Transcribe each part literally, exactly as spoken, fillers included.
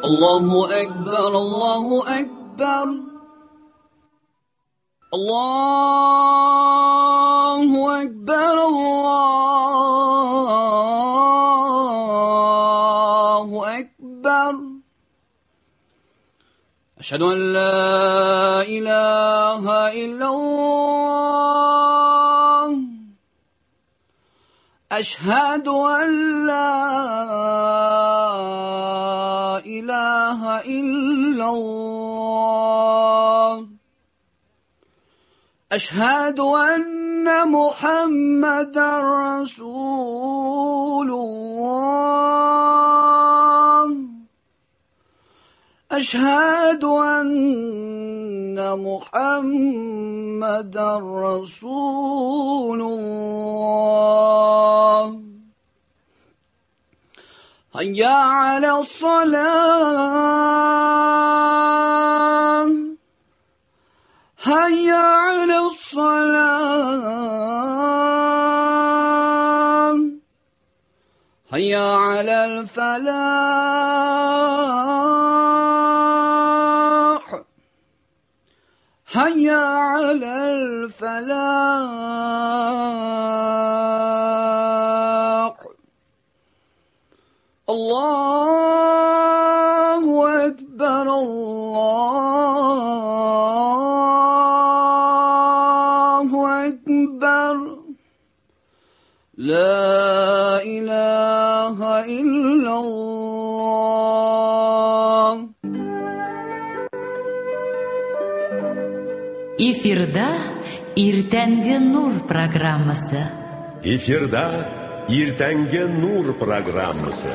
الله أكبر الله أكبر الله أكبر الله أكبر أشهد أن لا إله إلا الله أشهد أن لا إله إلا الله أشهد أن محمدا رسول الله أشهد أن محمدا رسول الله هيا على الصلاة هيا على الصلاة هيا على الفلاح هيا على الفلاح الله أكبر الله أكبر لا إله إلا الله. Эфирда Иртәнге Нур программасы. Эфирда Иртәнге Нур программасы.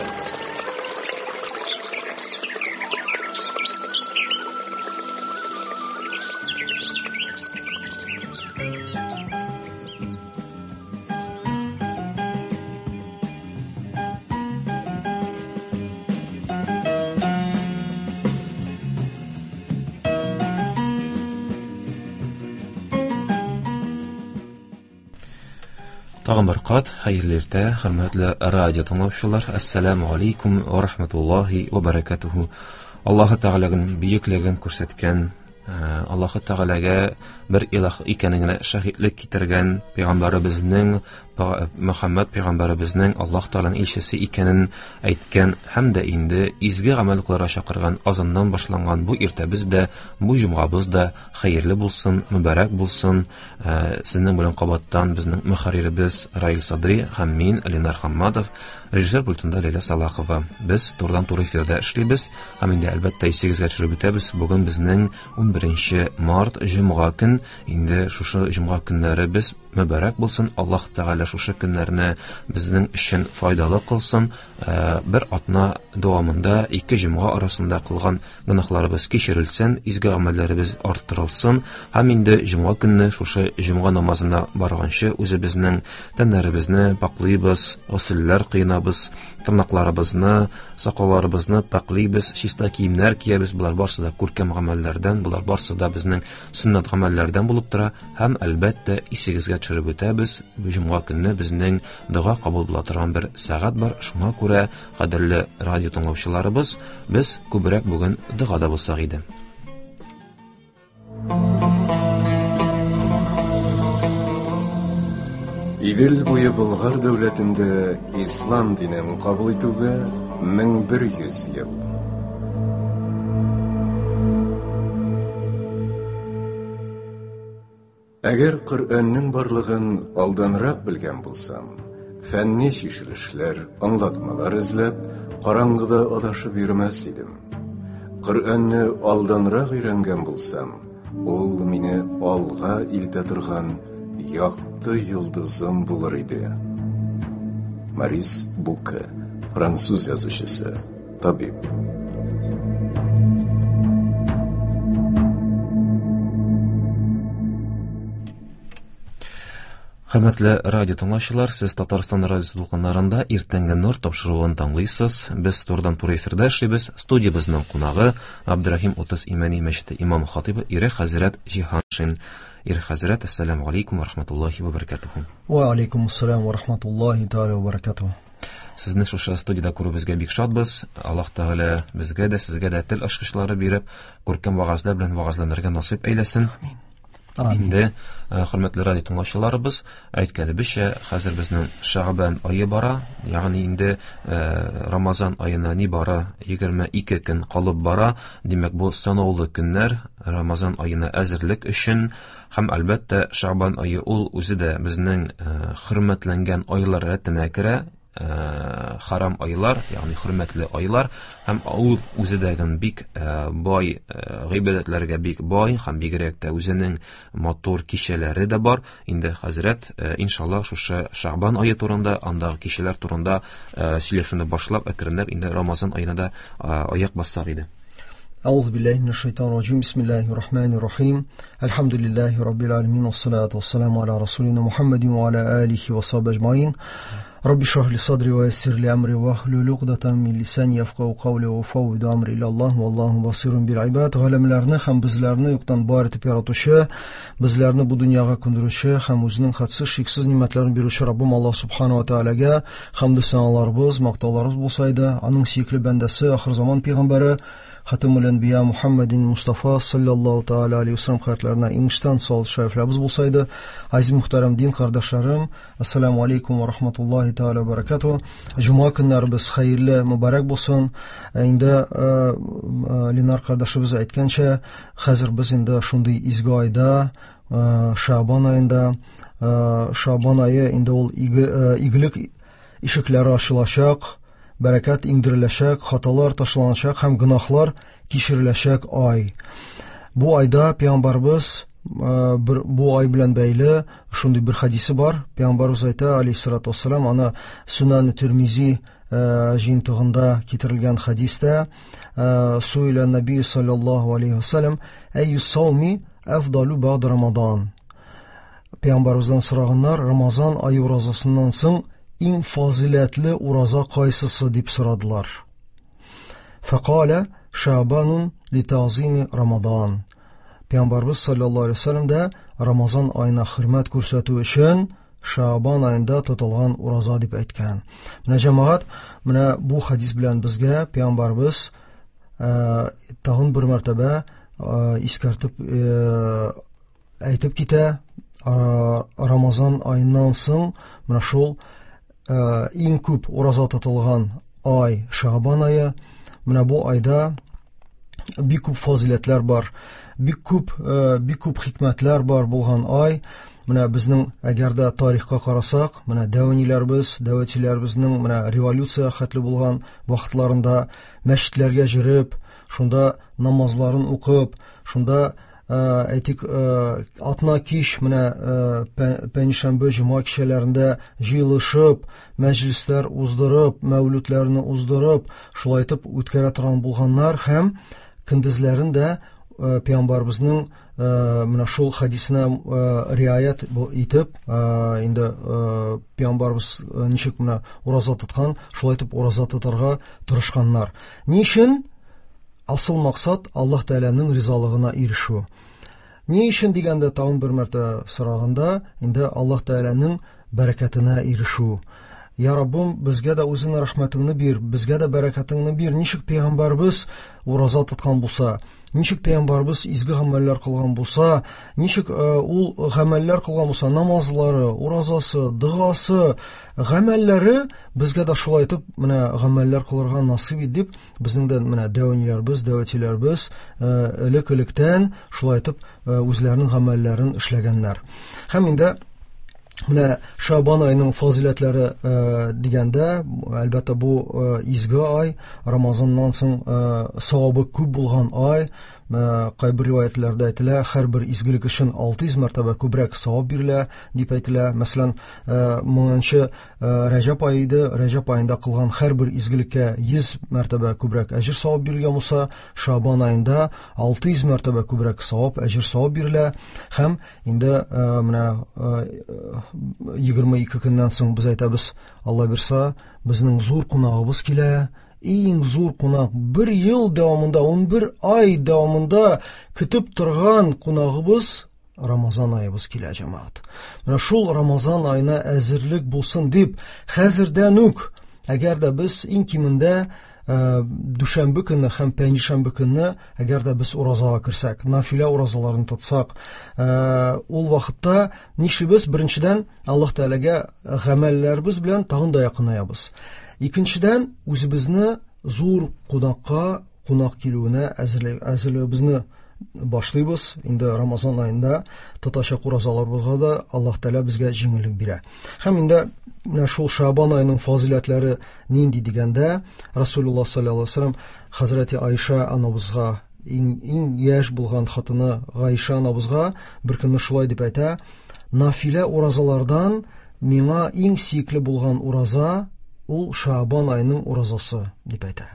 Тагын бер кат хәерле иртә, хөрмәтле радио тыңлаучылар. Ассаламу алейкум ва рахматуллахи ва баракатуху. Аллаһы Тәгаләнең бөеклеген күрсәткән, Аллаһы Тәгаләгә бер илаһ икәнлегенә шаһитлек китергән пәйгамбәребезнең Мөхәммәд пәйгамбәребезнең Аллаһ Тәгаләнең илчесе икәнен әйткән һәм дә инде изге гамәл кылырга чакырган азаннан башланган бу иртәбез дә, бу җомгабыз да хәерле булсын, мөбарәк булсын. Сезнең белән кабаттан безнең мөхәрриребез Раил Садри һәм мин Ленар Хамматов, режиссер пультында Ләйлә Салахова. Без турыдан-туры эфирда эшлибез һәм инде әлбәттә исегезгә төшереп үтәбез. Бүген безнең ун беренче март җомга көн. Инде шушы җомга көннәре без мөбарәк булсын. Аллаһ Тәгалә шушы көннәрне безнең өчен файдалы кылсын. Бер атна дәвамында ике җомга арасында кылган гөнаһларыбыз кичерелсен, изге гамәлләребез арттырылсын һәм инде җомга көнне шушы җомга намазына барганчы үзебезнең тәннәребезне паклыйбыз, госелләр кыйнабыз, тырнакларыбызны, сакалларыбызны паклыйбыз, чиста киемнәр киябез. Булар барсы да күркәм гамәлләрдән, булар барсы да безнең сөннәт гамәлләрдән булып тора һәм әлбәттә исегезгә төшереп үтәбез. Бу җомга көнне безнең дога кабул була торган бер сәгать бар. Шуңа күрә, кадерле радио тыңлаучыларыбыз, без күбрәк бүген догада булсак иде. Идел буе Болгар дәүләтендә ислам динен кабул итүгә мең бер йөз ел. Әгәр Коръәннең барлыгын алданрак белгән булсам, фәнни чишелешләр, аңлатмалар эзләп, караңгыда адашып йөрмәс идем. Коръәнне алданрак өйрәнгән булсам, ул мине алга илтә торган якты йолдызым булыр иде. Морис Буке, француз язучысы, табиб. Хөрмәтле радио тыңлаучылар, сез Татарстан радиосы дулкыннарында Иртәнге нур тапшыруын тыңлыйсыз. Без турыдан-туры эфирда эшлибез. Студиябезнең кунагы Абдурахим Утыз Имәни мәчете имам хатибы Ирек хәзрәт Җиһаншин. Ирек хәзрәт, ассаламу алейкум ва рахматуллахи ва баракатуху. Ва алейкум ассалам ва рахматуллахи тааля ва баракатуху. Сезне шушы студияда күрүебезгә бик шатбыз. Аллаһ Тәгалә безгә дә, сезгә дә тел ачкычлары биреп, күркәм вагазлар белән вагазланырга насыйп әйләсен. Амин. Инде, хөрмәтле радио тыңлаучыларыбыз, әйткәнебезчә, хәзер безнең Шәгъбан ае бара, ягъни инде Рамазан аена ни бара егерме ике көн калып бара. Димәк, бу санаулы көннәр Рамазан аена әзерлек өчен һәм әлбәттә Шәгъбан ае ул үзе дә безнең хөрмәтләнгән айлар рәтенә керә. Харам айлар, ягъни хөрмәтле айлар, һәм ул үзе дә бик бай гыйбадәтләргә бик бай һәм бигрәк тә үзенең матур кичәләре дә бар. Инде хәзрәт, иншаллаһ, шушы Шәгъбан ае турында, андагы кичәләр турында сөйләшүне башлап, әкренләп инде Рамазан аена да аяк бассак иде. أعوذ بالله من الشيطان الرجيم. بسم الله الرحمن الرحيم. الحمد لله رب العالمين والصلاة والسلام على رسولنا محمد وعلى آله وصحبه أجمعين. رب اشرح لي صدري ويسر لي أمري واحلل عقدة من لساني يفقهوا قولي وأفوض أمري إلى الله والله بصير بالعباد. Галәмләрне һәм безләрне юктан бар итеп яратучы, безләрне бу дөньяга күндерүче һәм үзенең хәтсез шиксез нимәтләрен бирүче Раббым Аллаһ субхана ва таалагә хәмдү саналарыбыз, мактауларыбыз булсайды, аның сөекле бәндәсе, ахыр заман пәйгамбәре Хатамул Әнбия Мухаммадин Мустафа саллаллаху тааля алейхи ва саллям хәзрәтләренә иңиштән салат шәрифләребез булсайды. Азиз мөхтәрәм дин кардәшләрем, ассаламу алейкум ва рахматуллахи тааля ва баракатуһ. Җомга көннәребез хәерле, мөбарәк булсын. Инде Ленар кардәшебез әйткәнчә, хәзер без инде шундый изге айда, Шәгъбан аенда, Шәгъбан ае инде ул игелек ишекләре ачылачак, бәрәкәт иңдереләчәк, хаталар ташланачак һәм гөнаһлар кичереләчәк ай. Бу айда пәйгамбәрбез бер бу ай белән бәйле шундый бер хадисе бар. Пәйгамбәрбез әйтә, алейһиссалату вассалам, аны Сунан Тирмизи җыентыгында китерелгән хадистә, суиля наби саллаллаху алейхи вассалам, әйю сауми афдалу бa'д Рамадан. Пәйгамбәрбездән сораганнар, Рамазан ае уразасыннан соң иң фазиләтле ураза кайсысы дип сорадылар. Фәкалә Шәгъбанун литазими Рамадан. Пәйгамбәрбез саллаллаху алейхи вассалам да Рамазан аена хөрмәт күрсәтү өчен Шәгъбан аенда тотылган ураза дип әйткән. Менә җәмәгать, менә бу хадис белән безгә пәйгамбәрбез тагын бер мәртәбә искәртеп әйтеп китә, Рамазан аеннан соң менә шул иң күп ураза тотылган ай Шәгъбан ае. Менә бу айда бик күп фазиләтләр бар, бик күп, бик күп хикмәтләр бар булган ай. Менә безнең әгәр дә тарихка карасак, менә дәвәниләрбез, дәвәтчиләрбезнең менә революция хәтле булган вакытларында мәчетләргә йөреп, шунда намазларын укып, шунда әйтик, атна кич менә пәншәмбе, җомга кичәләрендә җыелышып, мәҗлесләр уздырып, мәүлүдләрне уздырып, шулай итеп үткәрә торган булганнар һәм көндезләрен дә пәйгамбәрбезнең менә шул хадисенә риаят итеп, инде пәйгамбәрбез ничек менә ураза тоткан, шулай итеп ураза тотарга тырышканнар. Ни өчен? Асыл максат Аллаһ Тәгаләнең ризалыгына ирешү. Ни өчен дигәндә тагын бер мәртәбә сораганда, инде Аллаһ Тәгаләнең бәрәкәтенә ирешү. Я Раббым, безгә дә үзеңнең рәхмәтеңне бир, безгә дә бәрәкәтеңне бир. Ничек пәйгамбәрбез ураза тоткан булса, ничек пәйгамбәрбез изге гамәлләр кылган булса, ничек ул гамәлләр кылган булса, намазлары, уразасы, догасы, гамәлләре безгә дә шулай итеп менә гамәлләр кылырга насыйп ит дип, безнең дә менә дәвәниләрбез, дәвәтчиләрбез элек-электән шулай итеп үзләренең гамәлләрен эшләгәннәр. Һәм инде менә Шәгъбан аеның фазиләтләре дигәндә, әлбәттә бу изге ай, Рамазаннан соң савабы күп булган ай. Кайбер риваятларда әйтелә, һәрбер изгелек өчен алты йөз мәртәбә күбрәк савап бирелә дип әйтелә. Мәсәлән, моңынчы Рәҗәб ае иде, Рәҗәб аенда кылган һәрбер изгелеккә йөз мәртәбә күбрәк әҗер савап бирелгән булса, Шәгъбан аенда алты йөз мәртәбә күбрәк савап, әҗер савап бирелә. Һәм инде менә егерме ике көннән соң без әйтәбез, Алла бирса, безнең зур кунагыбыз килә. Иң зур кунак, бер ел дәвамында, ун бер ай дәвамында көтеп торган кунагыбыз Рамазан аебыз килә, җәмәгать. Менә шул Рамазан аена әзерлек булсын дип, хәзердән үк, әгәр дә без иң кимендә дүшәмбе көнне һәм пәнҗешәмбе көнне, әгәр дә без уразага керсәк, нафилә уразаларын тотсак, ул вакытта нишлибез? Беренчедән, Аллаһ Тәгаләгә гамәлләребез белән тагын да якынаябыз. Икенчедән, үзебезне зур кунакка, кунак килүенә әзерлегебезне башлыйбыз. Инде Рамазан аенда тотачак уразаларыбызга да Аллаһ Тәгалә безгә җиңеллек бирә. Һәм инде менә шул Шабан аеның фазыйләтләре нинди дигәндә, Расулуллаһ саллаллаһу алейһи ва саллям Хәзрәти Айша анабызга, иң, иң яшь булган хатыны Гайша анабызга бер көнне шулай дип әйтә: нафилә уразалардан миңа иң сөекле булган ураза ул Шабан аеның уразасы, дип әйтә.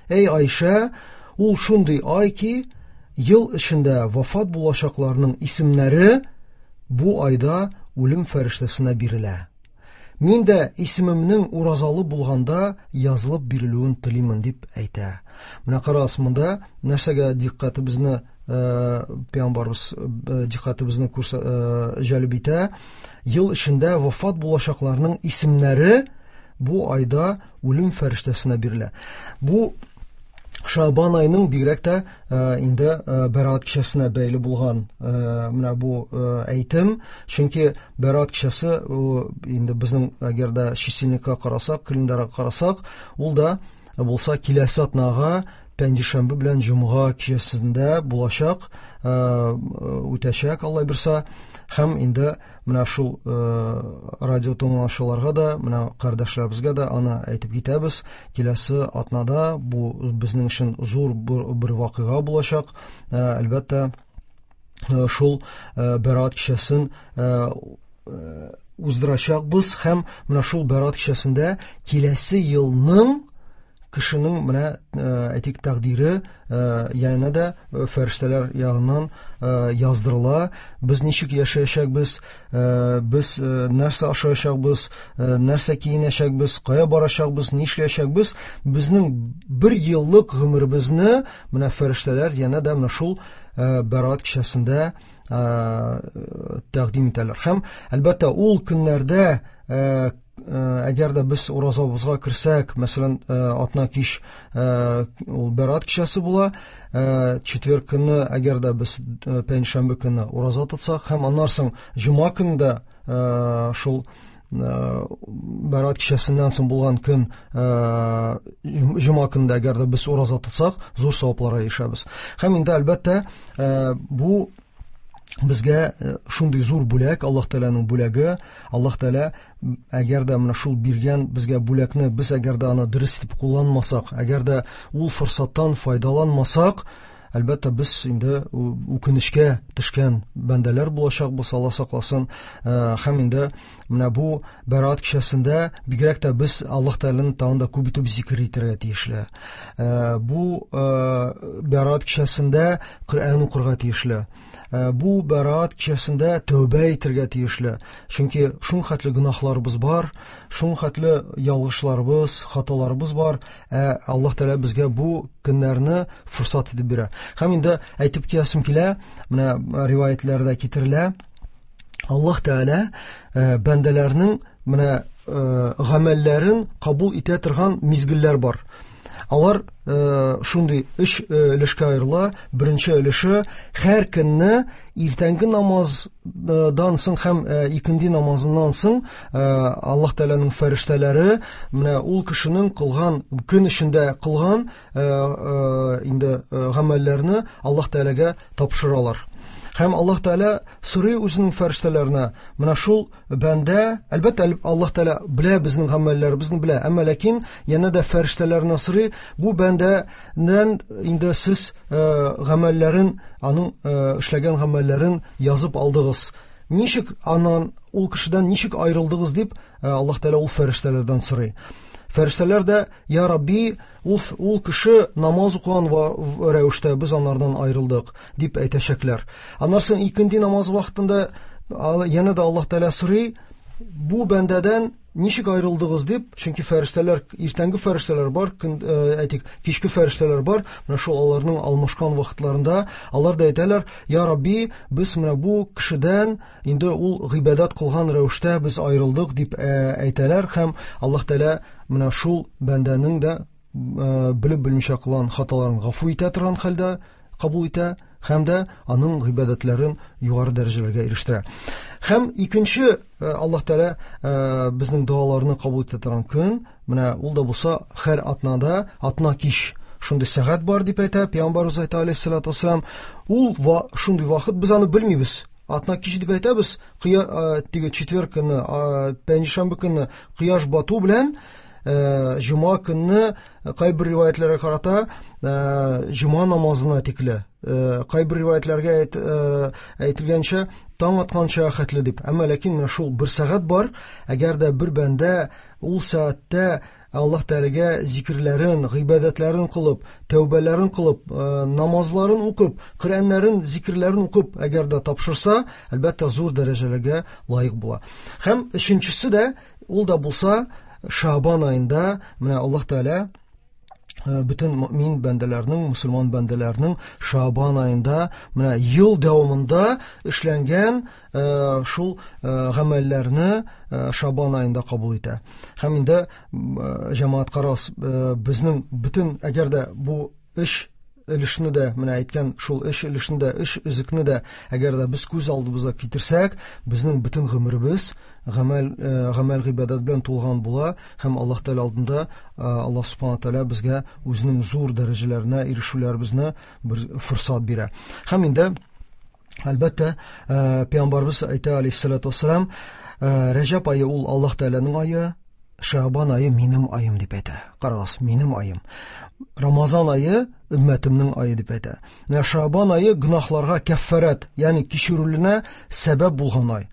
Эй Айша, ул шундый ай ки, ел эчендә вафат булачакларның исемнәре бу айда үлем фәрештәсенә бирелә. Мин дә исемемнең уразалы булганда язылып бирелүен телимен, дип әйтә. Менә карагыз, монда нәрсәгә дикъкатыбызны, пәйгамбәрбез дикъкатыбызны җәлеп итә? Ел эчендә вафат булачакларның исемнәре бу айда үлем фәрештәсенә бирелә. Бу Шабан айының бигрәк тә инде Бәраат кичәсенә бәйле булган менә бу әйтем, чөнки Бәраат кичәсе инде безнең әгәр дә чисельникка карасак, календарьга карасак, ул да булса киләсе атнага пәнҗешәмбе белән җомга кичәсендә булачак, үтәчәк, Алла бирса. Һәм инде менә шул радио тыңлаучыларга да, менә кардәшләребезгә дә аны әйтеп китәбез. Киләсе атнада бу безнең өчен зур бер вакыйга булачак. Әлбәттә, шул Бәраат кичәсен уздырачакбыз һәм менә шул Бәраат кичәсендә киләсе елның кешенең менә әйтик тәкъдире янә дә фәрештәләр ягыннан яздырыла. Без ничек яшәячәкбез, без нәрсә ашаячакбыз, нәрсә киенәчәкбез, кая барачакбыз, нишләячәкбез, безнең бер еллык гомеребезне менә фәрештәләр янә дә менә шул Бәраат кичәсендә тәкъдим итәләр. Һәм әлбәттә ул көннәрдә әгәр дә без уразабызга керсәк, мәсәлән, атна кич ул Бәраат кичәсе була, четверг көнне әгәр дә без пәнҗешәмбе көнне ураза тотсак һәм аннан соң җомга көнендә шул Бәраат кичәсеннән соң булган көн җомга көнендә әгәр дә без ураза тотсак, зур савапларга ирешәбез. Һәм инде әлбәттә бу безгә шундый зур бүләк, Аллаһ Тәгаләнең бүләге. Аллаһ Тәгалә әгәр дә менә шул биргән безгә бүләкне без әгәр дә аны дөрес итеп кулланмасак, әгәр дә ул форсаттан файдаланмасак, әлбәттә без инде үкенечкә төшкән бәндәләр булачакбыз, Алла сакласын. Һәм инде менә бу Бәраат кичәсендә бигрәк тә без Аллаһ Тәгаләне тагын да күп итеп зикер итәргә тиешле. Бу Бәраат кичәсендә Коръән укырга тиешле. Бу Бәраат кичәсендә тәүбә итәргә тиешле. Чөнки шул хәтле гөнаһларыбыз бар, шул хәтле ялгышларыбыз, хаталарыбыз бар. Ә Аллаһ Тәгалә безгә бу көннәрне форсат итеп бирә. Һәм инде әйтеп китәсем килә, менә риваятләрдә китерелә, Аллаһ Тәгалә бәндәләрнең менә гамәлләрен кабул итә торган мизгелләр бар. Алар шундый өч өлешкә аерыла. Беренче өлеше һәр көнне иртәнге намаздан соң һәм икенде намазыннан соң Аллаһ Тәгаләнең фәрештәләре менә ул кешенең кылган көн эчендә кылган инде гамәлләрне Аллаһ Тәгаләгә тапшыралар. Һәм Аллаһ Тәгалә сорый үзенең фәрештәләренә, менә шул бәндә, әлбәттә, Аллаһ Тәгалә белә безнең гамәлләребезне белә, әмма ләкин янә дә фәрештәләренә сорый, бу бәндәдән инде сез гамәлләрен, аның эшләгән гамәлләрен язып алдыгыз. Ничек аннан, ул кешедән ничек аерылдыгыз дип Аллаһ Тәгалә ул фәрештәләрдән сорый. Фәрештәләр дә, я Рабби, ул, ул кеше намаз укыган рәвештә без анардан аерылдык, дип әйтәчәкләр. Аннан соң икенде намаз вакытында янә дә Аллаһ Тәгалә сорый, Бу бәндәдән ничек аерылдыгыз дип, чөнки фәрештәләр, иртәнге фәрештәләр бар, көн, әйтик, кичке фәрештәләр бар. Менә шул аларның алмашкан вакытларында алар да әйтәләр: "Я Рабби, без менә бу кешедән инде ул гыйбадәт кылган рәвештә без аерылдык" дип әйтәләр һәм Аллаһ Тәгалә менә шул бәндәнең дә белеп белмичә кылган хаталарын гафу итә торган хәлдә кабул итә һәм дә аның гыйбадәтләрен югары дәрәҗәләргә ирештерә. Һәм икенче Аллаһ Тәгалә безнең догаларны кабул итә торган көн, менә ул да булса һәр атнада, атна кич шундый сәгать бар дип әйтә Пәйгамбәребез әйтә алейһиссалату вассалам. Ул шундый вакыт, без аны белмибез. Атна кич дип әйтәбез, теге четверг көнне, пәнҗешәмбе көнне кояш бату белән җома көнне кайбер риваятларга карата җома намазына тикле, кайбер риваятларга әйтелгәнчә таң атканча хәтле дип. Әмма ләкин менә шул бер сәгать бар, әгәр дә бер бәндә ул сәгатьтә Аллаһ Тәгаләгә зикерләрен, гыйбадәтләрен кылып, тәүбәләрен кылып, намазларын укып, Коръәннәрен, зикерләрен укып, әгәр дә тапшырса, әлбәттә зур дәрәҗәләргә лаек була. Һәм өченчесе дә ул да булса Шабан айында менә Аллаһ Тәгалә бөтен мөмин бәндәләрнең, мусульман бәндәләрнең Шабан айында менә ел дәвамында эшләнгән шул гамәлләрне Шабан айында кабул итә. Һәм инде җәмәгать карас, безнең бөтен, әгәр дә бу эш өлешне дә, менә әйткән шул эш өлешне дә, эш өзекне дә, әгәр дә без күз алдыбызга китерсәк, безнең бөтен гомеребез гамәл, гамәл гыйбадәт белән тулган була һәм Аллаһ Тәгалә алдында Аллаһ Субхана Тәгалә безгә үзенең зур дәрәҗәләренә ирешүләребезне бер форсат бирә. Һәм инде әлбәттә Пәйгамбәребез әйтә алейһиссалату вассалам, Рәҗәб ае ул Аллаһ Тәгаләнең ае, Шабан ае минем аем дип әйтә. Карагыз, минем аем. Рамазан ае өммәтемнең ае дип әйтә. Менә Шабан ае гөнаһларга кәффарәт, ягъни кичерүленә сәбәп булган ай.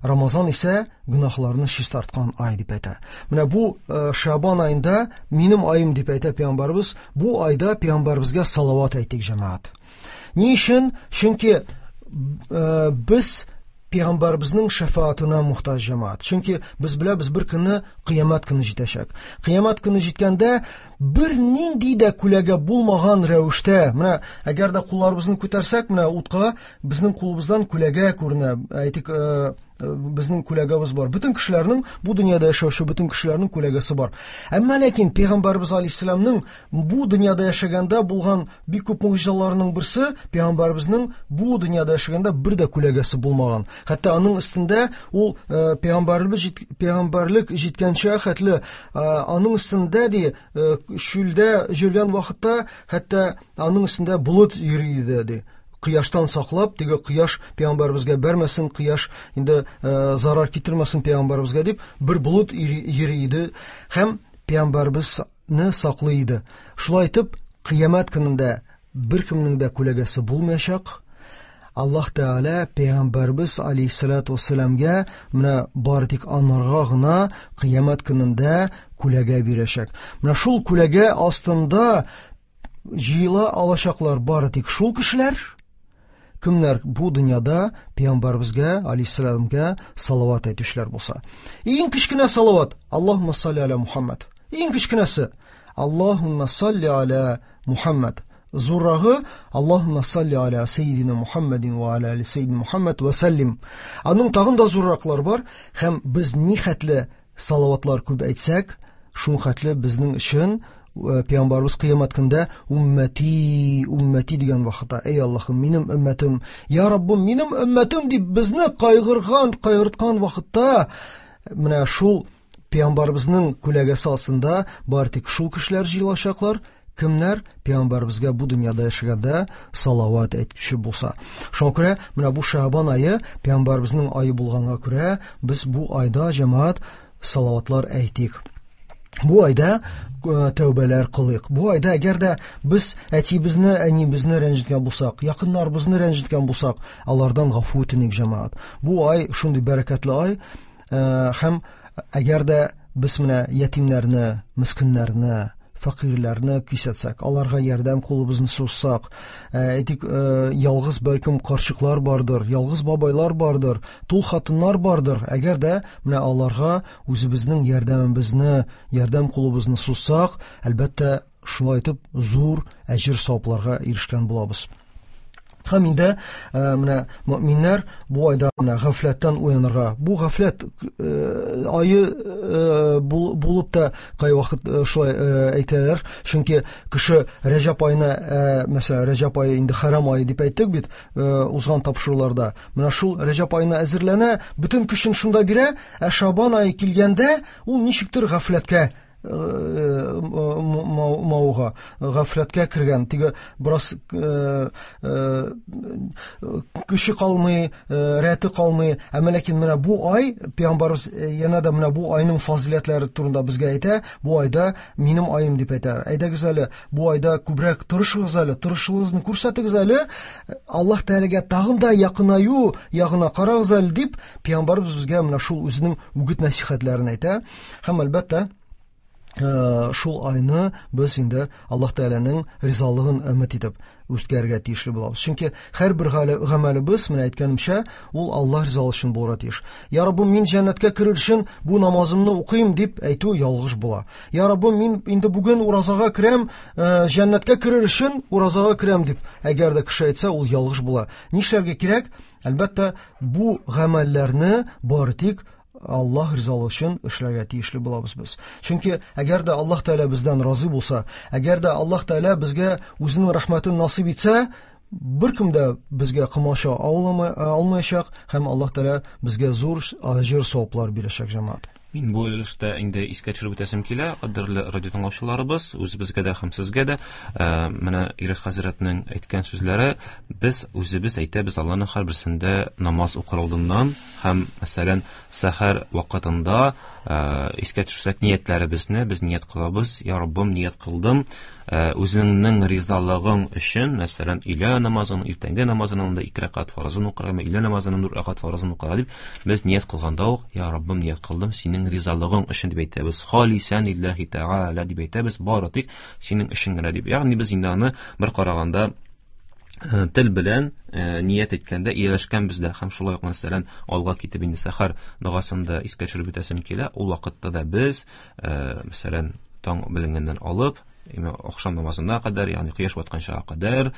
Рамазан исә гөнаһларны чистарткан ай дип әйтә. Менә бу Шабан аенда минем аем дип әйтә Пәйгамбәребез. Бу айда Пәйгамбәребезгә салават әйтик, җәмәгать. Ни өчен? Чөнки без Пәйгамбәребезнең шәфаатына мохтаҗ, җәмәгать. Чөнки без беләбез, бер көнне кыямәт көне җитәчәк. Кыямәт көне җиткәндә бер нинди дә күләгә булмаган рәвештә, менә әгәр дә кулларыбызны күтәрсәк, менә утка безнең кулыбыздан күләгә күренә. Әйтик, безнең күләгәбез бар. Бөтен кешеләрнең, бу дөньяда яшәүче бөтен кешеләрнең күләгәсе бар. Әмма ләкин Пәйгамбәребез алейһиссәламның бу дөньяда яшәгәндә булган бик күп могҗизаларының берсе, Пәйгамбәребезнең бу дөньяда яшәгәндә бер дә күләгәсе булмаган. Хәтта аның өстендә ул пәйгамбәрлек пәйгамбәрлек җиткәнчә хәтле аның өстендә ди чүлдә йөргән вакытта хәтта аның өстендә болыт йөри иде ди. Кояштан саклап, теге кояш пәйгамбәребезгә бәрмәсен, кояш инде зарар китермәсен пәйгамбәребезгә дип бер болыт йөри иде һәм пәйгамбәребезне саклый иде. Шулай итеп, кыямәт көнендә беркемнең дә күләгәсе булмаячак. Аллаһ Тәгалә пәйгамбәребез алейһиссалату вассаламга менә бары тик анарга гына кыямәт көнендә күләгә бирәчәк. Менә шул күләгә астында җыела алачаклар бары тик шул кешеләр, кемнәр бу дөньяда пәйгамбәребезгә алейһиссаламга салават әйтүчеләр булса. Иң кечкенә салават Аллаһумма салли аля Мухаммад. Иң кечкенәсе Аллаһумма салли аля Мухаммад. Зуррагы Аллаһумма салли аля сейдина Мухаммадин ва аля али сейдина Мухаммад ва саллим. Аның тагын да зурраклар бар һәм без ни хәтле салаватлар күп әйтсәк, шул хәтле безнең өчен Пәйгамбәребез кыямәт көндә уммәти, уммәти дигән вакытта, эй Аллаһым, минем өммәтем, я Раббым, минем өммәтем дип безне кайгырган, кайгырткан вакытта менә шул Пәйгамбәребезнең күләгәсе астында бары тик шул кешеләр җыелачаклар, кемнәр Пәйгамбәребезгә бу дөньяда яшәгәндә салават әйтүче булса. Шуңа күрә менә бу Шабан ае Пәйгамбәребезнең ае булганга күрә без бу айда җәмәгать салаватлар әйтик. Бу айда тәүбәләр кылыйк. Бу айда әгәр дә без әтибезне, әнибезне рәнҗеткән булсак, якыннарыбызны рәнҗеткән булсак, алардан гафу үтеник, җәмәгать. Бу ай шундый бәрәкәтле ай, һәм әгәр дә без менә ятимнәрне, мискиннәрне, фәкыйрьләрне кисәтсәк, аларга ярдәм кулыбызны сузсак, әйтик, ялгыз бәлкем карчыклар бардыр, ялгыз бабайлар бардыр, тул хатыннар бардыр. Әгәр дә менә аларга үзебезнең ярдәмебезне, ярдәм кулыбызны сузсак, әлбәттә, шулай итеп зур әҗер савапларга ирешкән булабыз. Һәм инде менә мөэминнәр бу айда менә гафләттән уянырга. Бу гафләт ае булып та кайвакыт шулай әйтәләр, чөнки кеше Рәҗәб аена, мәсәлән, Рәҗәб ае инде хәрам ае дип әйттек бит узган тапшыруларда. Менә шул Рәҗәб аена әзерләнә, бөтен көчен шунда бирә, ә Шабан ае килгәндә ул ничектер гафләткә мауга, гафләткә кергән, теге бераз көче калмый, рәте калмый. Әмма ләкин менә бу ай, пәйгамбәребез янә дә менә бу айның фазыйләтләре турында безгә әйтә, бу айда минем аем дип әйтә. Әйдәгез әле, бу айда күбрәк тырышыгыз әле, тырышлыгыгызны күрсәтегез әле, Аллаһ Тәгаләгә тагын да якынаю ягына карагыз әле дип, пәйгамбәребез безгә менә шул үзенең үгет-нәсихәтләрен әйтә. Һәм әлбәттә, шул айны без инде Аллаһ Тәгаләнең ризалыгын өмет итеп үткәрергә тиешле булабыз. Чөнки һәрбер гамәлебез, менә әйткәнемчә, ул Аллаһ ризалыгы өчен булырга тиеш. Я Раббым, мин җәннәткә керер өчен бу намазымны укыйм дип әйтү ялгыш була. Я Раббым, мин инде бүген уразага керәм, җәннәткә керер өчен уразага керәм дип, әгәр дә кеше әйтсә, ул ялгыш була. Нишләргә кирәк? Әлбәттә, бу гамәлләрне бары тик Аллаһ ризалыгы өчен эшләргә тиешле булабыз без. Чөнки әгәр дә Аллаһ Тәгалә бездән разый булса, әгәр дә Аллаһ Тәгалә безгә үзенең рәхмәтен насыйп итсә, беркем дә безгә комача алмаячак һәм Аллаһ Тәгалә безгә зур әҗер саваплар бирәчәк, җәмәгать. Мин бу өлештә инде искә төшереп үтәсем килә, кадерле радио тыңлаучыларыбыз, үзебезгә дә һәм сезгә дә, менә Ирек хәзрәтнең әйткән сүзләре, без үзебез әйтәбез Аллаһның һәрберсендә намаз укыр алдыннан һәм, мәсәлән, сәхәр вакытында искә төшерсәк ниятләребезне, без ният кылабыз, я Раббым, ният кылдым, үзеңнең ризалыгың өчен, мәсәлән, өйлә намазын, иртәнге намазының да ике рәкәгать фарызын укырга, өйлә намазының дүрт рәкәгать фарызын укырга дип, без ният кылганда ук, я Раббым, ният кылдым, синең ризалыгың өчен дип әйтәбез. Халисан лиллаһи тәгалә дип әйтәбез, бары тик синең өчен генә дип. Ягъни без инде аны бер караганда тел белән ният әйткәндә ияләшкән бездә һәм шулай ук, мәсәлән, алга китеп инде сәхәр догасында искә төшереп үтәсем килә, ул вакытта да без, мәсәлән, таң беленгәннән алып, ахшам намазына кадәр, ягъни кояш батканчага кадәр,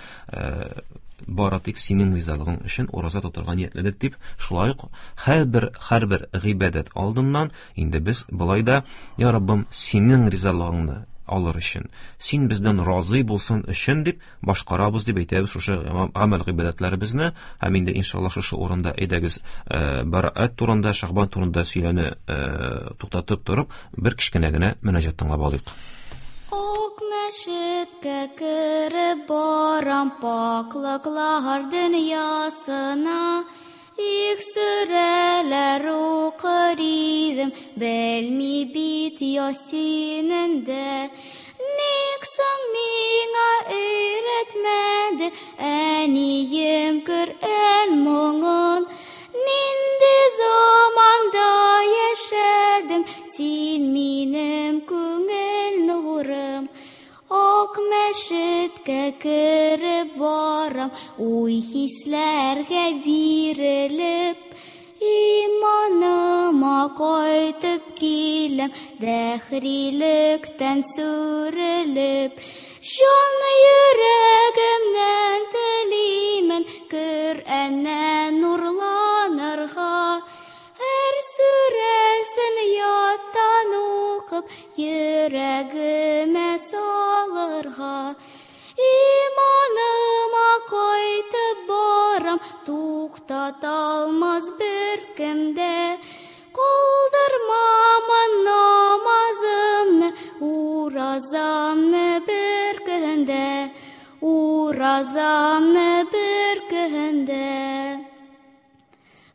бары тик синең ризалыгың өчен ураза тотарга ниятләдек дип, шулай ук һәрбер һәрбер гыйбадәт алдыннан инде без болай да, я Раббым, синең ризалыгыңны алыр өчен, син бездән разый булсын өчен дип башкарабыз дип әйтәбез шушы гамәл гыйбадәтләребезне. Һәм инде иншаллаһ шушы урында әйдәгез Бәраәт турында, Шәгъбан турында сөйләне туктатып торып, бер кечкенә генә мөнәҗәт тыңлап алыйк. Ак мәчеткә кереп барам, пакьлыклар дөньясына, их сүрәләр укыр идем, белми бит Ясинендә. Ник соң миңа өйрәтмәде әнием Коръән моңын? Нинди заманда яшәдең син, минем күңел нурым? Ак мәчеткә кереп барам, уй хисләргә бирелеп, иманыма кайтып киләм, дәһрилектән сүрелеп. Җан йөрәгемнән телимен Коръәннән нурланырга, һәр сүрәсен яттан укып, йөрәгемә салырга. Иманыма кайтып барам, туктата алмас беркем дә. Калдырмамын намазымны, уразамны бер көндә, уразамны бер көндә.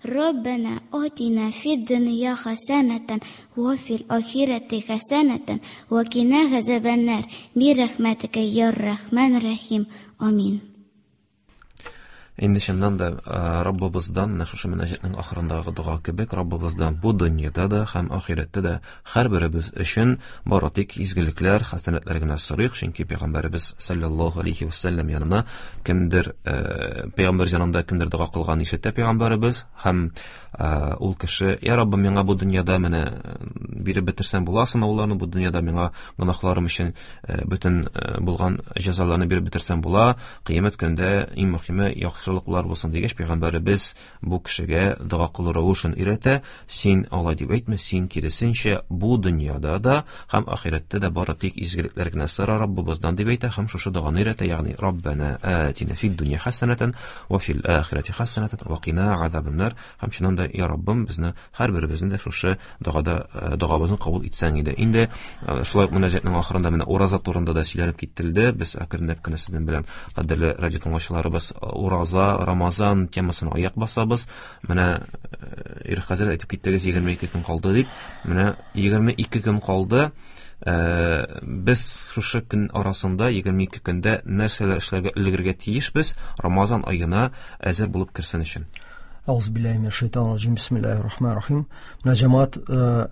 ربنا آتنا في الدنيا حسنة وفي الآخرة حسنة وقنا عذاب النار برحمتك يا الرحمن الرحيم آمين. Инде чыннан да Раббыбыздан, менә шушы мөнәҗәтнең ахырындагы дога кебек, Раббыбыздан бу дөньяда да һәм ахирәттә дә һәрберебез өчен бары тик изгелекләр, хәсәнәтләр генә сорыйк, чөнки Пәйгамбәребез саллаллаһу алейхи ва саллям янына кемдер, пәйгамбәр янында кемдер дога кылган ишетә Пәйгамбәребез һәм ул кеше: "Я Раббым, миңа бу дөньяда менә биреп бетерсәң була сынауларны, бу дөньяда миңа гөнаһларым өчен бөтен булган җәзаларны биреп бетерсәң була, кыямәт көнендә иң мөһиме яхшылыклар булсын" дигәч, Пәйгамбәребез бу кешегә дога кылу рәвешен өйрәтә: "Син алай дип әйтмә, син киресенчә бу дөньяда да һәм ахирәттә дә бары тик изгелекләр генә сора Раббыбыздан" дип әйтә һәм шушы доганы өйрәтә, ягъни Раббана атина фид дөнья хәсәнәтән ва фил ахирәти хәсәнәтән ва кина азабаннар. Һәм чыннан да, я Раббым, безне һәрберебезне дә шушы догада догабызны кабул итсәң иде. Инде шулай ук мөнәҗәтнең ахырында менә ураза турында да сөйләнеп кителде. Без әкренләп кенә сезнең белән, кадерле радио тыңлаучыларыбыз, ураза, Рамазан темасына аяк басабыз. Менә Ирек хәзрәт әйтеп киттегез, егерме ике көн калды дип. Менә егерме ике көн калды. Без шушы көн арасында егерме ике көндә нәрсәләр эшләргә өлгерергә тиешбез Рамазан аена әзер булып керсен өчен? Ауз биллаһи минәш шайтанир раҗим. Бисмиллаһир рахманир рахим. Менә җәмәгать,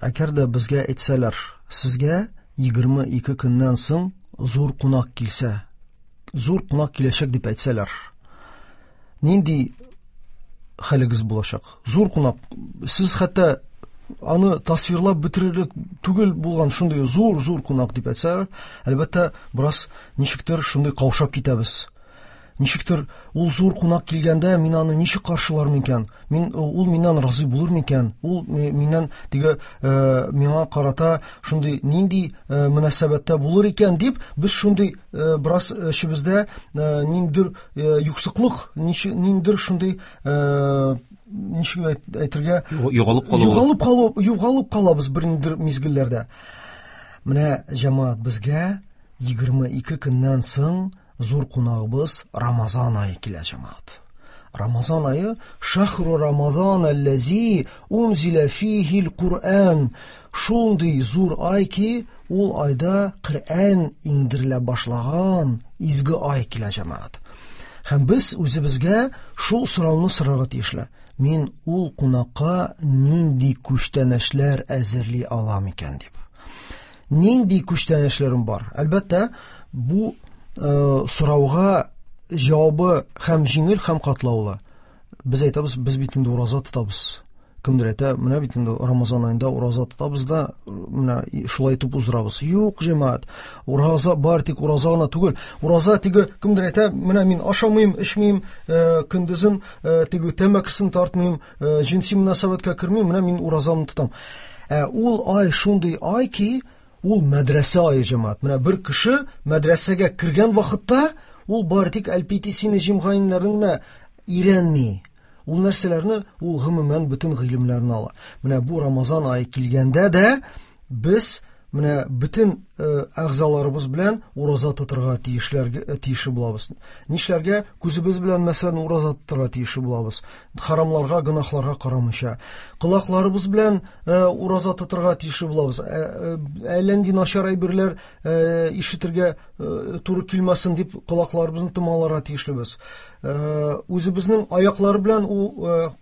әгәр дә безгә әйтсәләр, сезгә егерме ике көннән соң зур кунак килсә, зур кунак киләчәк дип әйтсәләр, нинди хәлегез булачак? Зур кунак, сез хәтта аны тасвирлап бетерерлек түгел булган шундый зур-зур кунак дип әйтсәләр, әлбәттә, бераз ничектер шундый каушап китәбез. Ничектер ул зур кунак килгәндә мин аны ничек каршылармын икән? Мин ул миннән разый булыр микән? Ул миннән теге миңа карата шундый нинди мөнәсәбәттә булыр икән дип, без шундый бераз эчебездә ниндидер юксыклык, ниндидер шундый ничек әйтергә, югалып калу, югалып калу, югалып калабыз бер ниндидер мизгелләрдә. Менә җәмәгать, безгә егерме ике көннән соң зур кунагыбыз Рамазан ае килә, җәмәгать. Рамазан ае, шахру Рамазан аллази унзила фихил Куръан. Шундый зур ай ки, ул айда Коръән иңдерелә башлаган изге ай килә, җәмәгать. Һәм без үзебезгә шул сорауны сорарга тиешле. Мин ул кунакка нинди күчтәнәчләр әзерли алам икән дип. Нинди күчтәнәчләрем бар? Әлбәттә, бу сорауга җавабы һәм җиңел, һәм катлаулы. Без әйтәбез, без бит инде ураза тотабыз. Кемдер әйтә, менә бит инде Рамазан аенда ураза тотабыз да, менә шулай итеп уздырабыз. Юк, җәмәгать, ураза бар тик ураза гына түгел. Ураза теге кемдер әйтә, менә мин ашамыйм, эчмим, көндезен теге тәмәкесен тартмыйм, җенси мөнәсәбәткә кермим, менә мин уразамны тотам. Ә ул ай шундый ай ки, ул мәдрәсә ае, җәмәгать. Менә бер кеше мәдрәсәгә кергән вакытта ул бары тик әлпитисене җимгайннарын гына өйрәнми. Ул нәрсәләрне, ул гомумән бөтен гыйлемнәрне ала. Менә бу Рамазан ае килгәндә дә без менә бөтен әгъзаларыбыз белән ураза тотырга тиешләргә тиешле булабыз. Нишләргә? Күзебез белән мәсәлән ураза тотырга тиешле булабыз. Харамларга, гөнаһларга карамыйча. Колакларыбыз белән ураза тотырга тиешле булабыз. Әллә нинди начар әйберләр ишетергә туры килмәсен дип колакларыбызны томаларга тиешлебез. Үзебезнең аяклары белән,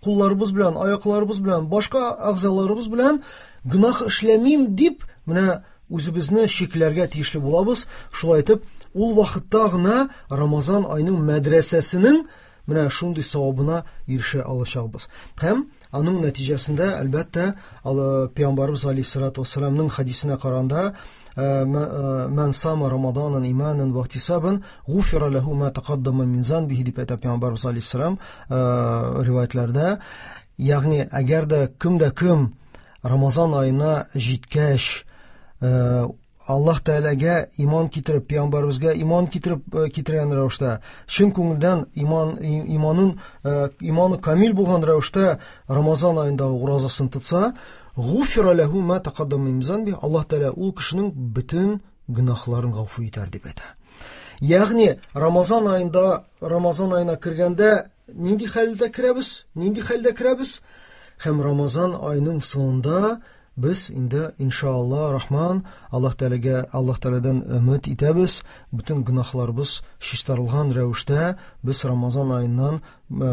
кулларыбыз белән, аякларыбыз белән, башка әгъзаларыбыз белән гөнаһ эшләмим дип менә үзебезне чикләргә тиешле булабыз. Шулай итеп, ул вакытта гына Рамазан аеның мәдрәсәсенең менә шундый савабына ирешә алачакбыз. Һәм аның нәтиҗәсендә, әлбәттә, Пәйгамбәребез алейһиссалату вассаламның хадисенә караганда, «Мән сама Рамаданан иманан ва ихтисабан, гуфира лаху ма тақаддама мин занбихи» дип әйтә Пәйгамбәребез алейһиссалам риваятларда. Ягъни, әгәр дә кем дә кем Рамазан аена җиткәч, Аллаһ Тәгаләгә иман китереп, Пәйгамбәребезгә иман китереп китергән рәвештә, чын күңелдән иман, иманын, иманы камил булган рәвештә Рамазан аендагы уразасын тотса, гуфира лаху ма тақаддама мин занби, Аллаһ Тәгалә ул кешенең бөтен гөнаһларын гафу итәр дип әйтә. Ягъни Рамазан аенда, Рамазан аена кергәндә нинди хәлдә керәбез? Нинди хәлдә керәбез? Һәм Рамазан аеның соңында Без инде иншалла рахман Аллаһ Тәгаләгә, Аллаһ Тәгаләдән өмет итәбез, бөтен гөнаһларыбыз чистарылган рәвештә без Рамазан аеннан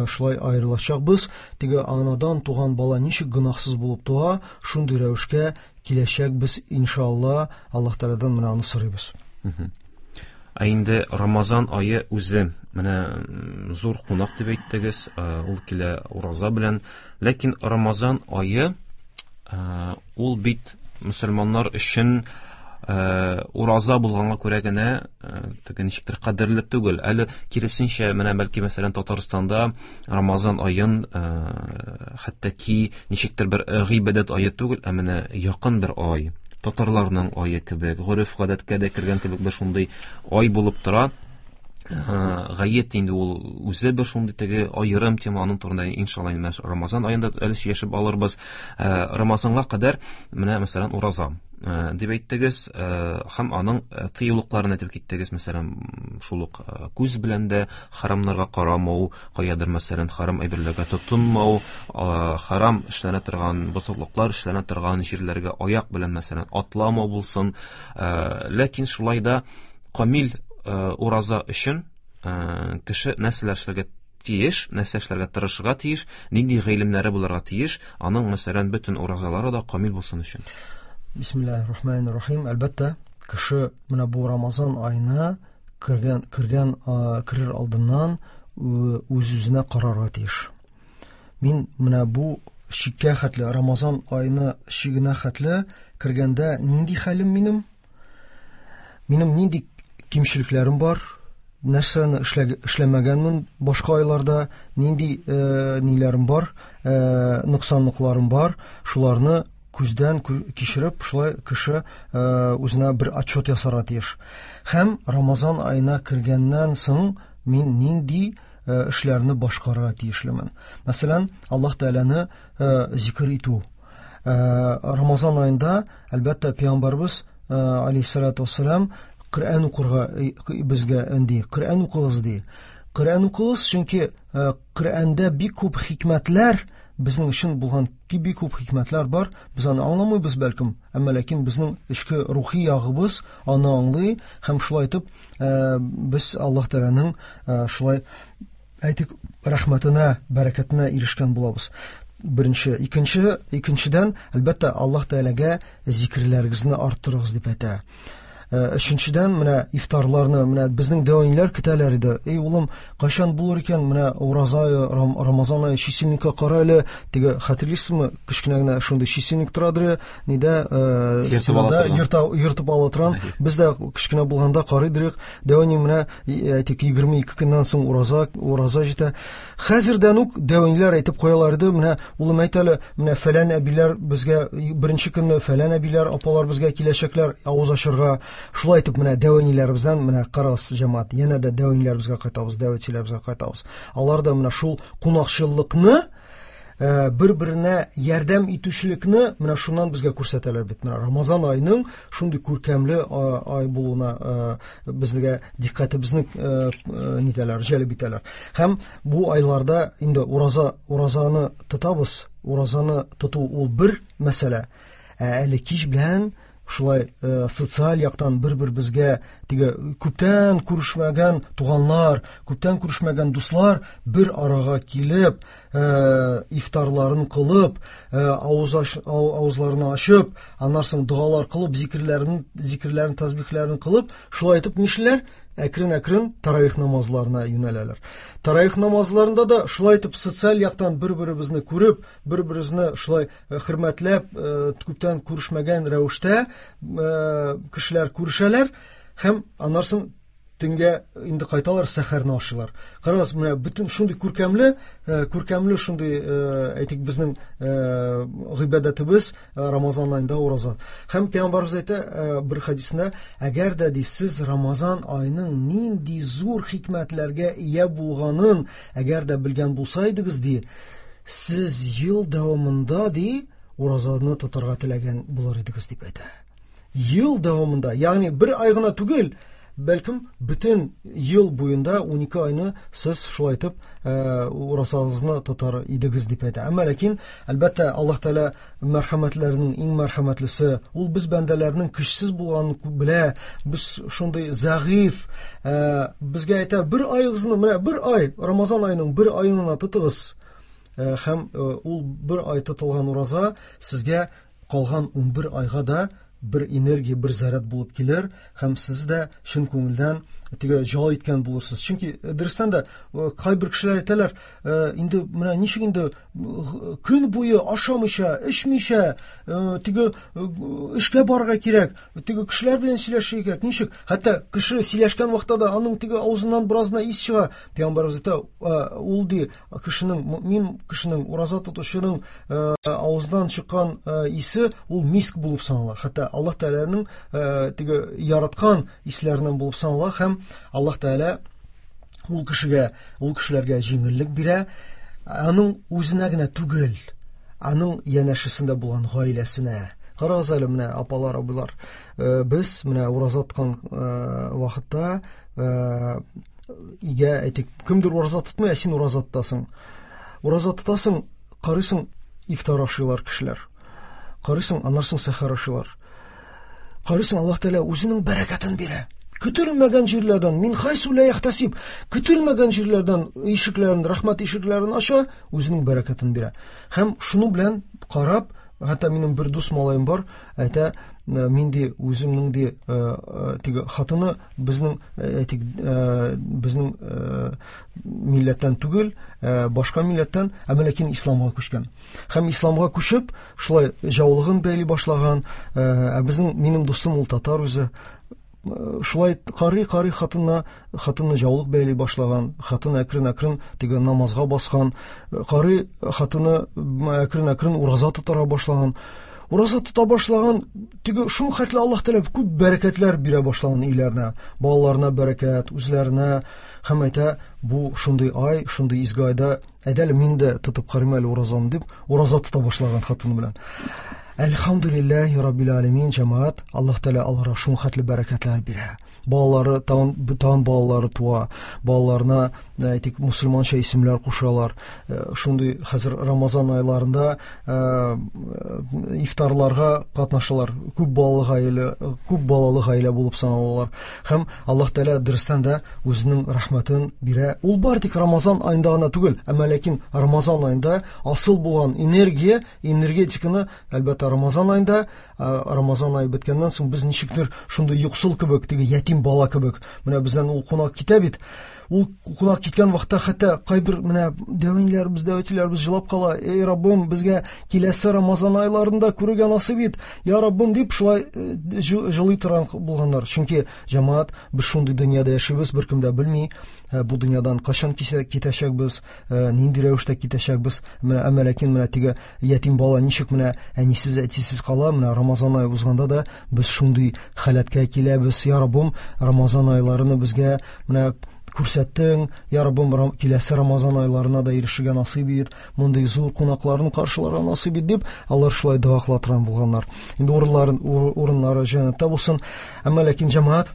шулай аерылачакбыз. Теге анадан туган бала ничек гөнаһсыз булып туа, шундый рәвешкә киләчәкбез иншалла. Аллаһ Тәгаләдән менә аны сорыйбыз. Ә инде Рамазан ае үзе менә зур кунак дип әйттегез, ул килә ураза белән. Ләкин Рамазан ае ул бит мөселманнар өчен ураза булганга күрә генә теге ничектер кадерле түгел. Әле киресенчә, менә бәлки мәсәлән Татарстанда Рамазан аен хәтта ки ничектер бер гыйбадәт ае түгел, ә менә якын бер ай, татарларның ае кебек, гореф-гадәткә дә кергән кебек бер шундый ай булып тора. Гает инде ул үзе бер шундый теге аерым тема, аның турында иншалла инде Рамазан аенда әле сөйләшеп алырбыз. Рамазанга кадәр менә мәсәлән ураза дип әйттегез һәм аның тыюлыкларын әйтеп киттегез, мәсәлән шул ук күз белән дә харамнарга карамау, каядыр мәсәлән харам әйберләргә тотынмау, харам эшләнә торган бозыклыклар эшләнә торган җирләргә аяк белән мәсәлән атламау булсын. Ләкин шулай да камил ураза өчен кеше нәрсәләр эшләргә тиеш, нәрсә эшләргә тырышырга тиеш, нинди гыйлемнәре булырга тиеш, аның мәсәлән бөтен уразалары да камил булсын өчен. Бисмиллаһир-рахманир-рахим. Әлбәттә, кеше менә бу Рамазан аена кергән, кергән, керер алдыннан үз-үзенә карарга тиеш. Мин менә бу чиккә хәтле, Рамазан аена чигенә хәтле кергәндә нинди хәлем минем? Минем нинди кимчелекләрем бар? Нәрсәне эшләмәгәнмен башка айларда, нинди э, ниләрем бар, э, ноксанлыкларым бар, шуларны күздән кичереп, шулай кеше э, үзенә бер отчет ясарга тиеш. Һәм Рамазан аена кергәннән соң мин нинди э, эшләрне башкарырга тиешлемен. Мәсәлән, Аллаһ Тәгаләне э, зикр итү. Э, Рамазан аенда, әлбәттә, пәйгамбәрбез э, алейһиссалату вассалам Коръән укырга безгә инде, Коръән укыгыз ди. Коръән укыгыз, чөнки Коръәндә бик күп хикмәтләр, безнең өчен булган бик күп хикмәтләр бар. Без аны аңламыйбыз бәлкем, әмма ләкин безнең эчке рухи ягыбыз аны аңлый һәм шулай итеп без Аллаһ Тәгаләнең шулай әйтик рәхмәтенә, бәрәкәтенә ирешкән булабыз. Беренче, икенче, икенчедән, әлбәттә, Аллаһ Тәгаләгә зикерләрегезне арттырыгыз дип әйтә. Өченчедән, менә ифтарларны, менә безнең дәвамчылар көтәләр иде. Эй, улым, кайчан булыр икән, менә ураза ае, Рамазан ае, чисельникка кара әле, теге хәтерлисезме, кечкенә генә шундый чисельник торадыр, нидә, стенада ертып ала торган. Без дә кечкенә булганда карыйдык. Дәвамчы менә әйтик егерме ике көннән соң ураза, ураза җитә. Хәзердән үк дәвамчылар әйтеп куялар иде, менә улым әйт әле, менә фәлән әбиләр безгә беренче көнне фәлән әбиләр, апалар безгә киләчәкләр авыз ачырга. Шулай итеп менә дәвәниләребездән менә карагыз, җәмәгать, янә дә дәвәниләребезгә кайтабыз, дәвәтчеләребезгә кайтабыз. Алар да менә шул кунакчыллыкны, бер-беренә ярдәм итүчелекне менә шуннан безгә күрсәтәләр бит. Менә Рамазан аеның шундый күркәмле ай булуына безгә дикъкатебезне нитәләр, җәлеп итәләр. Һәм бу айларда инде ураза, уразаны тотабыз. Уразаны тоту ул бер мәсьәлә. Ә әле кич белән шулай э, социаль яктан бер-беребезгә теге күптән күрешмәгән туганнар, күптән күрешмәгән дуслар бер арага килеп, э, ифтарларын кылып, э, авыз ач, авызларын ачып, аннан соң догалар кылып, зикерләрен, зикерләрен, тәсбихләрен кылып, шулай итеп нишләр? Әкрен-әкрен таравих намазларына юнәләләр. Таравих намазларында да шулай итеп социаль яктан бер-беребезне күреп, бер-беребезне шулай хөрмәтләп, күптән күрешмәгән рәвештә кешеләр күрешәләр һәм аннан соң төнгә инде кайталар, сәхәрне ашыйлар. Карагыз, менә бөтен шундый күркәмле, күркәмле шундый, әйтик, безнең гыйбадәтебез Рамазан аенда ураза. Һәм пәйгамбәребез әйтә бер хәдисендә, әгәр дә ди сез Рамазан аеның нинди зур хикмәтләргә ия булганын әгәр дә белгән булсайдыгыз ди, сез ел дәвамында ди уразаны тотарга теләгән булыр идегез дип әйтә. Ел дәвамында, ягъни бер ай гына түгел, бәлкем бөтен ел буенда унике айны сез шулай итеп уразагызны тотар идегез дип әйтә. Әмма ләкин, әлбәттә, Аллаһ Тәгалә мәрхәмәтләренең иң мәрхәмәтлесе, ул без бәндәләрнең көчсез булганын белә, без шундый зәгыйф, безгә әйтә, бер айыгызны, менә бер ай, Рамазан аеның бер аен гына тотыгыз. Һәм ул бер ай тотылган ураза сезгә калган унбер айга да бер энергия, бер заряд булып килер, һәм сез дә чын күңелдән теге җал иткән булырсыз. Чөнки дөрестән дә кайбер кешеләр әйтәләр, инде менә ничек инде көн буе ашамыйча, эчмичә, теге эшкә барырга кирәк, теге кешеләр белән сөйләшергә кирәк. Ничек? Хәтта кеше сөйләшкән вакытта да аның теге авызыннан беразына ис чыга. Пәйгамбәребез әйтә, ул ди кешенең, мөмин кешенең, ураза тотучының авыздан чыккан исе ул миск булып санала. Хәтта Аллаһ Тәгаләнең теге яраткан исләреннән булып санала, һәм Аллаһ Тәгалә ул кешегә, ул кешеләргә җиңеллек бирә, аның үзенә генә түгел, аның янәшәсендә булган гаиләсенә. Карагыз әле, менә апалар, абыйлар, без менә ураза тоткан вакытта өйгә әйтик, кемдер ураза тотмый, ә син ураза тотасың. Ураза тотасың, карыйсың, ифтар ашыйлар кешеләр. Карыйсың, аннан соң сәхәр ашыйлар. Карыйсың, Аллаһ Тәгалә үзенең бәрәкәтен бирә. Көтелмәгән җирләрдән, мин хайсу ла яхтасиб, көтелмәгән җирләрдән ишекләрен, рәхмәт ишекләрен ача, үзенең бәрәкәтен бирә. Һәм шуның белән карап, хәтта минем бер дус малаем бар, әйтә, мин ди үземнең ди теге хатыны безнең, әйтик, безнең милләттән түгел, башка милләттән, әмма ләкин исламга күчкән. Һәм исламга күчеп, шулай җаулыгын бәйли башлаган. Ә безнең, минем дустым ул татар үзе. Шулай карый-карый хатынына, хатынны җаулык бәйли башлаган, хатын әкрен-әкрен теге намазга баскан, карый хатыны әкрен-әкрен ураза тотара башлаган. Ураза тота башлаган, теге шул хәтле Аллаһ Тәгалә күп бәрәкәтләр бирә башлаган өйләренә, балаларына бәрәкәт, үзләренә. Һәм әйтә, бу шундый ай, шундый изге айда, әйдә әле мин дә тотып карыйм әле уразаны дип, ураза тота башлаган хатыны белән. Әлхәмдүлилләһи раббил аләмин, җәмәгать, Аллаһ Тәгалә аларга шул хәтле бәрәкәтләр бирә. Балалары, тагын, тагын балалары туа, балаларына, әйтик, мусульманча исемнәр кушалар. Шундый хәзер Рамазан айларында ифтарларга катнашалар. Күп балалы гаилә, күп балалы гаилә булып саналалар. Һәм Аллаһ Тәгалә дөрестән дә үзенең рәхмәтен бирә. Ул бар тик Рамазан аенда гына түгел, әмма ләкин Рамазан аенда асыл булган энергия, энергетиканы, әлбәттә, Рамазан аенда, Рамазан ае беткәннән соң без ничектер шундый юксыл кебек, теге ятим бала кебек. Менә бездән ул кунак китә бит. Ул кунак киткән вакытта хәтта кайбер менә дәвәниләребез, дәвәтиләребез җылап кала. Эй Раббым, безгә киләсе Рамазан айларында күрергә насыйп ит. Я Раббым дип шулай җылый торган булганнар. Чөнки җәмәгать, без шундый дөньяда яшибез, беркем дә белми бу дөньядан кайчан китәчәкбез, нинди рәвештә китәчәкбез. Менә әмма ләкин менә теге ятим бала ничек менә әнисез, әтисез кала, менә Рамазан ае узганда да без шундый халәткә киләбез. Я Раббым, Рамазан айларını безгә менә күрсәттең, я Раббым, киләсе Рамазан айларына да ирешергә насыйп ит, мондый зур кунакларны каршыларга насыйп ит дип, алар шулай дога кыла торган булганнар. Инде урыннарын, урыннары җәннәттә булсын. Әмма ләкин җәмәгать,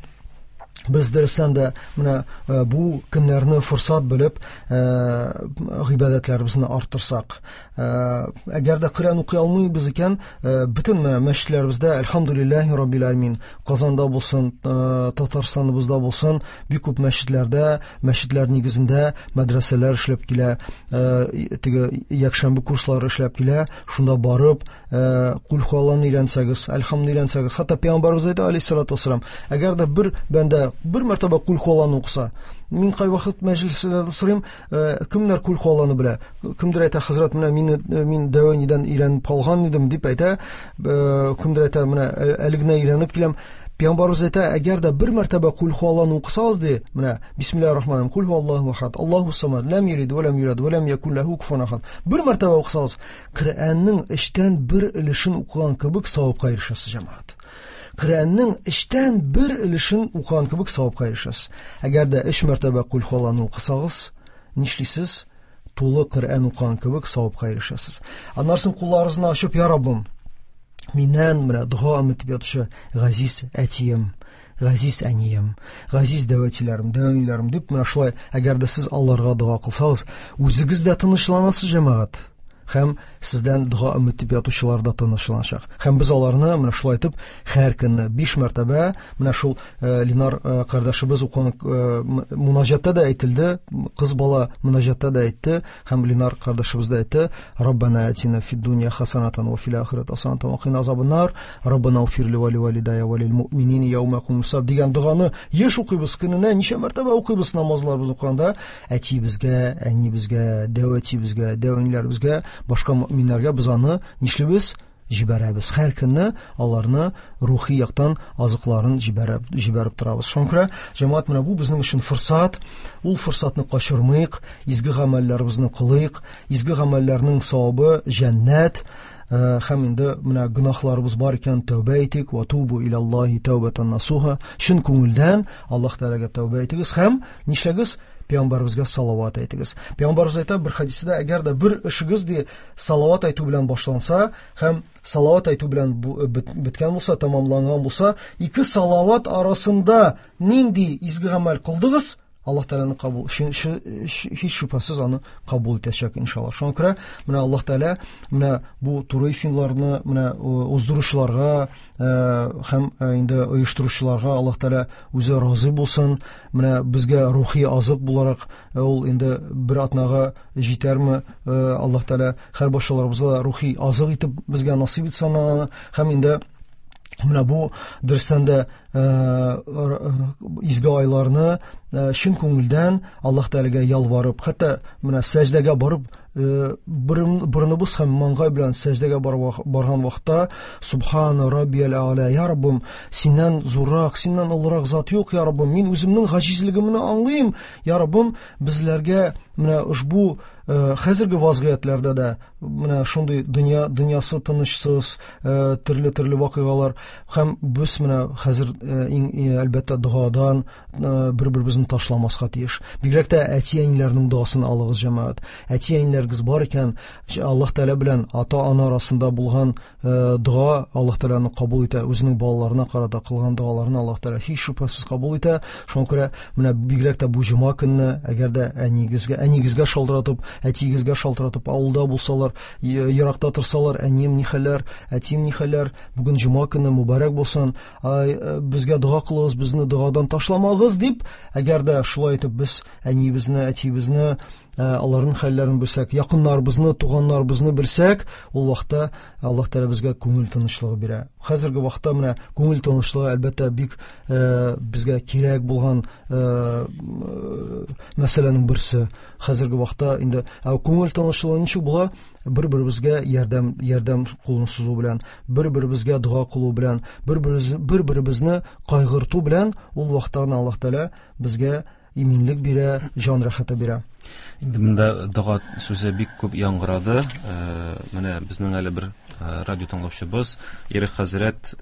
без дөрестән дә менә бу көннәрне форсат белеп, гыйбадәтләребезне арттырсак, әгәр дә Коръән укый алмыйбыз икән, бөтен мәчетләребездә, әлхәмдүлилләһи раббил аләмин, Казанда булсын, Татарстаныбызда булсын, бик күп мәчетләрдә, мәчетләр нигезендә мәдрәсәләр эшләп килә, теге якшәмбе курслары эшләп килә. Шунда барып, Кул хуалланы өйрәнсәгез, әлхәмдүлилләһ өйрәнсәгез, хәтта пәйгамбәребез әйтә алейһиссалату вассалам, әгәр дә бер бәндә бер мәртәбә Кул хуалланы укыса, мин кайвакыт мәҗлесләрдә сорыйм, кемнәр Кул хуалланы белә? Кемдер әйтә, хәзрәт, менә мине, мин дәвәнидән өйрәнеп калган идем дип әйтә, кемдер әйтә, менә әле генә өйрәнеп киләм. Пәйгамбәребез әйтә, әгәр дә бер мәртәбә Кул хуалланы укысагыз ди, менә бисмиллаһир рахманир рахим, Кул хуаллаһу ахад, Аллаһу самад, лам ялид ва лам юлад ва лам якун лаху куфуан ахад. Бер мәртәбә укысагыз, Коръәннең эчтән бер өлешен укыган кебек савапка ирешәсез, җәмәгать. Коръәннең эчтән бер өлешен укыган кебек савапка ирешәсез. Әгәр дә өч мәртәбә Кул хуалланы укысагыз, нишлисез? Тулы Коръән укыган кебек савапка ирешәсез. Аннан соң кулларыгызны ачып, я Раббым, миннән менә дога өмет итеп ятучы газиз әтием, Газиз әнием, газиз дәү әтиләрем, дәү әниләрем дип, менә шулай, әгәр дә сез аларга дога кылсагыз, үзегез дә тынычланасыз, җәмәгать. Һәм сездән дога өмет итеп ятучылар да тынычланачак. Һәм без аларны менә шулай итеп һәр көнне биш мәртәбә, менә шул Ленар кардәшебез укыган мунаҗатта да әйтелде, кыз бала мунаҗатта да әйтте, һәм Ленар кардәшебез дә әйтте: Раббана атина фид дунья хасанатан ва фил ахирати хасанатан ва кина азабан-нар, Раббана уфир ли ва ли валидая ва лил муъминина яума якумус хисаб дигән доганы еш укыйбыз, көненә ничә мәртәбә укыйбыз намазларыбызны укыганда. Әтиебезгә, әниебезгә, дәү әтиебезгә, дәү әниләребезгә, башка мөэминнәргә без аны нишлибез? Җибәрәбез. Һәр көнне аларны рухи яктан азыкларын җибәреп, җибәреп торабыз. Шуңа күрә, җәмәгать, менә бу безнең өчен форсат. Ул форсатны качырмыйк, изге гамәлләребезне кылыйк. Изге гамәлләрнең савабы җәннәт. Һәм инде менә гөнаһларыбыз бар икән, тәүбә итик. Ва тубу илаллаһи тәүбәтән насуха. Чын күңелдән Аллаһ Тәгаләгә тәүбә итегез һәм нишләгез? Пәйгамбәребезгә салават әйтегез. Пәйгамбәребез әйтә бер хәдистә, әгәр дә бер эшегез ди салават әйтү белән башланса һәм салават әйтү белән беткән булса, тәмамланган булса, ике салават арасында нинди изге гамәл кылдыгыз, Аллаһ Тәгаләне кабул, һич шөбһәсез аны кабул итәчәк иншаллаһ. Шуңа күрә менә Аллаһ Тәгалә менә бу туры эфирларны менә уздыручыларга һәм инде оештыручыларга Аллаһ Тәгалә үзе разый булсын. Менә безгә рухи азык буларак ул инде бер атнага җитәрме, Аллаһ Тәгалә һәр башаларыбызга рухи азык итеп безгә насыйп итсен аны. Һәм инде менә бу дөрестән дә изге айларны чын күңелдән Аллаһ Тәгаләгә ялварып, хәтта менә сәҗдәгә барып, борыныбыз һәм маңгай белән сәҗдәгә барган вакытта Субхана раббиял а'ла, я Раббым, синнән зуррак, синнән олырак зат юк, я Раббым, мин үземнең гаҗизлегемне аңлыйм, я Раббым, безләргә менә ошбу хәзерге вазгыятьләрдә дә менә шундый дөнья, дөньясы тынычсыз, төрле-төрле вакыйгалар, һәм без менә хәзер иң, әлбәттә, догадан бер-беребезне ташламаска тиеш. Бигрәк тә әти-әниләрнең догасын алыгыз, җәмәгать. Әти-әниләрегез бар икән, Аллаһ Тәгалә белән ата-ана арасында булган дога Аллаһ Тәгаләне кабул итә, үзенең балаларына карата кылган догаларны Аллаһ Тәгалә һич шөбһәсез кабул итә. Шуңа күрә менә бигрәк тә бу җомга көнне, әгәр дә әнигезгә, әнигезгә шалтыратып, әтиегезгә шалтыратып, авылда булсалар, еракта торсалар, әнием ни хәлләр, әтием ни хәлләр, бүген җомга көне мөбарәк булсын, безгә дога кылыгыз, безне догадан ташламагыз дип, әгәр дә шулай итеп без әниебезне, әтиебезне, аларның хәлләрен белсәк, якыннарыбызны, туганнарыбызны белсәк, ул вакытта Аллаһ Тәгалә безгә күңел тынычлыгы бирә. Хәзерге вакытта менә күңел тынычлыгы әлбәттә бик безгә кирәк булган мәсьәләнең берсе. Хәзерге вакытта инде күңел тынычлыгы ничек була? Бер-беребезгә ярдәм, ярдәм кулын сузу белән, бер-беребезгә дога кылу белән, бер-беребезне кайгырту белән ул вакытта Аллаһ Тәгалә безгә иминлек бирә, җан рәхәте бирә. Инде монда дога сүзе бик күп яңгырады. Менә безнең әле бер радио тыңлаучыбыз Ирек хәзрәт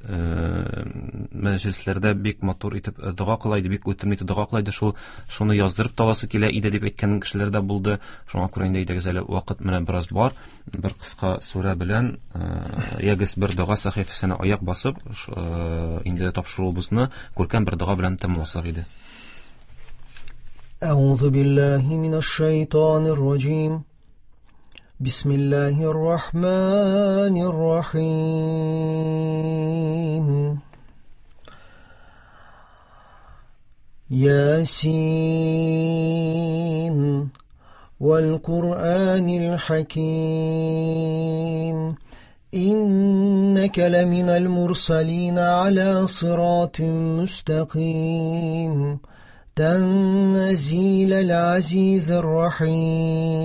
мәҗлесләрдә бик матур итеп дога кыла иде, бик үтемле итеп дога кыла иде. Шул шуны яздырып та аласы килә иде дип әйткән кешеләр дә булды. Шуңа күрә инде әйдәгез әле вакыт менә бераз бар. Бер кыска сүрә белән ягез бер дога сәхифәсенә аяк басып, инде тапшыруыбызны күркәм бер дога белән тәмамласак иде. أعوذ بالله من الشيطان الرجيم بسم الله الرحمن الرحيم ياسين والقرآن الحكيم إنك لمن المرسلين على صراط مستقيم تنزيل العزيز الرحيم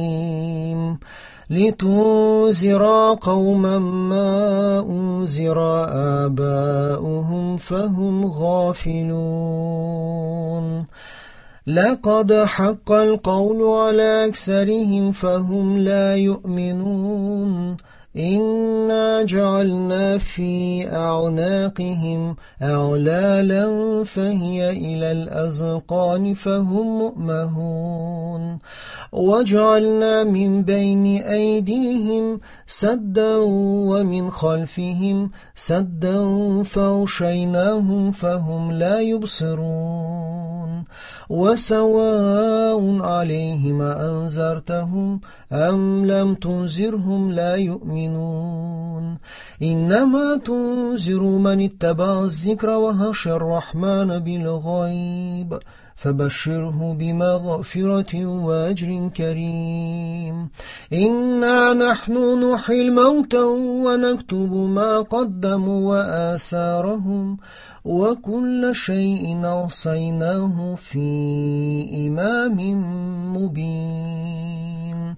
لتنذر قوما ما أنذر آباؤهم فهم غافلون لقد حق القول على أكثرهم فهم لا يؤمنون إنا جعلنا في أعناقهم أغلالا فهي إلى الأذقان فهم مؤمهون وجعلنا من بين أيديهم سدا ومن خلفهم سدا فأغشيناهم فهم لا يبصرون وسواء عليهم أنذرتهم أم لم تنذرهم لا يؤمنون إنما تنذر من اتبع الذكر وخشى الرحمن بالغيب فبشره بمغفرة وأجر كريم إنا نحن نحيي الموتى ونكتب ما قدموا وآثارهم وكل شيء أحصيناه في إمام مبين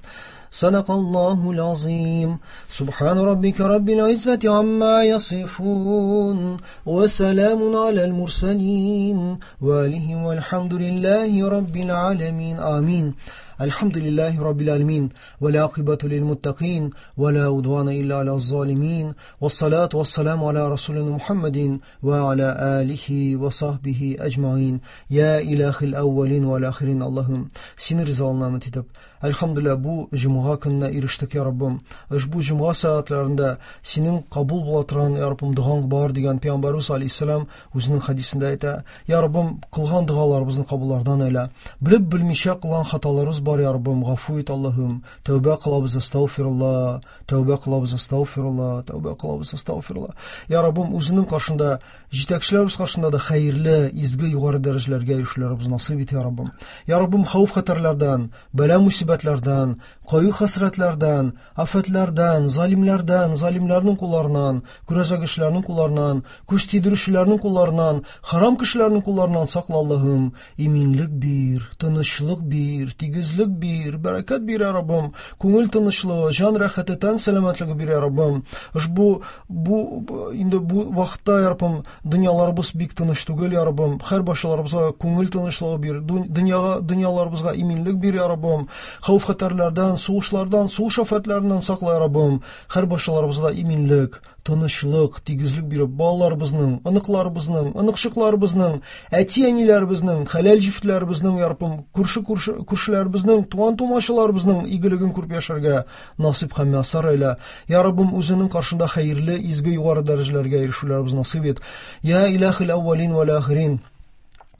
صدق الله العظيم. سبحان ربك رب العزة عما يصفون وسلام على المرسلين وآله والحمد لله رب العالمين. آمين. الحمد لله رب العالمين والعاقبة للمتقين ولا عدوان إلا على الظالمين والصلاة والسلام على رسولنا محمد وعلى آله وصحبه أجمعين. يا إله الأولين والآخرين Allah'ım seni rızalığına ümit edip Elhamdülillah bu cuma gününe eriştik ya Rabbim. Bu cuma saatlerinde senin kabul bola turgan ya Rabbim duaң бар degan Peygamberimiz Aleyhisselam o'zining hadisinde ayta. Ya Rabbim qilgan duolarimizni qabullardan ayla. Bilib bilmisha qilgan xatolarimiz bor ya Rabbim, g'afu et Allah'ım. Tavba qilamiz, estağfirullah. Tavba qilamiz, estağfirullah. Tavba qilamiz, estağfirullah. Ya Rabbim o'zining qarshında, yetakchilarimiz qarshında da xayrli, izgi yuqori darajalarga erishishlarimizni nasib et ya Rabbim. Ya Rabbim xavf xatarlardan, balo musibatlardan, qayg'u hasratlardan, afatlardan, zalimlardan, zalimlarning qo'llaridan, kuraza kishilarning qo'llaridan, ko'z tiydiruvchilarning qo'llaridan, harom kishilarning qo'llaridan saqla Allah'ım. Eminlik bir, tinchlik bir, tegizlik bir, barakat bir ya Rabbim. Ko'ngil tinchligi, jon rohati, tan salomatligi bir ya Rabbim. Ushbu bu endi bu vaqtda ya Rabbim dunyolarimiz bek tinch tugul ya Rabbim. Har boshlarimizga ko'ngil tinchligi bir, dunyoga dunyolarimizga eminlik bir ya Rabbim. Xavf xatarlardan, so'g'ishlardan, so'g'ish ofatlaridan saqla ya Rabbim. Har boshlarimizga eminlik, tinchlik, tegizlik berib, bolalarimizning, aniqlarimizning, aniqchiqlarimizning, ati-anilarimizning, halal jiftlarimizning ya Rabbim, ko'rshi ko'rshilarimizning, tugan tomoshalarımızning igiligini ko'rib yasharga nasib ham muyassar ayla. Ya Rabbim o'zining qarshında xayrli, izgi yuqori darajalarga erishishlarimizni nasib et. Ya ilahil avvalin vel axirin.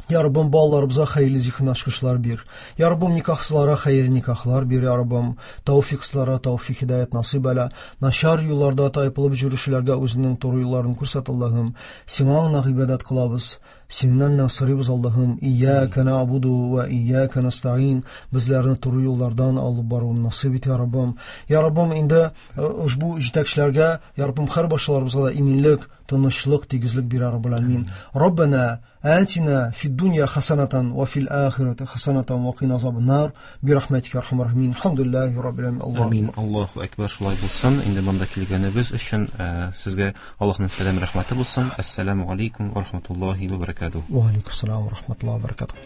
Ya Rabbim balalarımıza xeyirli zihin açqışlar bir. Ya Rabbim nikahsızlara xeyirli nikahlar bir. Ya Rabbim tavfiqsizlara tavfiq hidayet nasib elə. Naşar yollarda taypılıb yürüyüşlərə özünün doğru yollarını göstər Allahım. Sənə ibadət qılabız. Senden nasırıyız Allah'ım. İyyâke na'budu ve iyyâke nesta'in. Bizlerini doğru yollardan alıp barıvını nasip et ya Rabbim. Ya Rabbim indi bu yetakchilarga ya Rabbim har boshlarımızga da eminlik, tinchlik, tegizlik ber ya Rabbil alamin. Rabbana atina fid dunya hasanatan ve fil ahireti hasanatan ve qina azaban-nar. Bi rahmetike erhamer rahimin. Elhamdülillahi rabbil alamin. Allah. Amin. Allahu ekber. Шулай булсын. Инде монда килгәнебез өчен сезгә Аллаһның сәлам рәхмәте булсын. Ассаламу алейкум ва рахматуллахи ва баракатуһ. Ва алейкум ассалам ва рахматуллахи ва баракатуһ.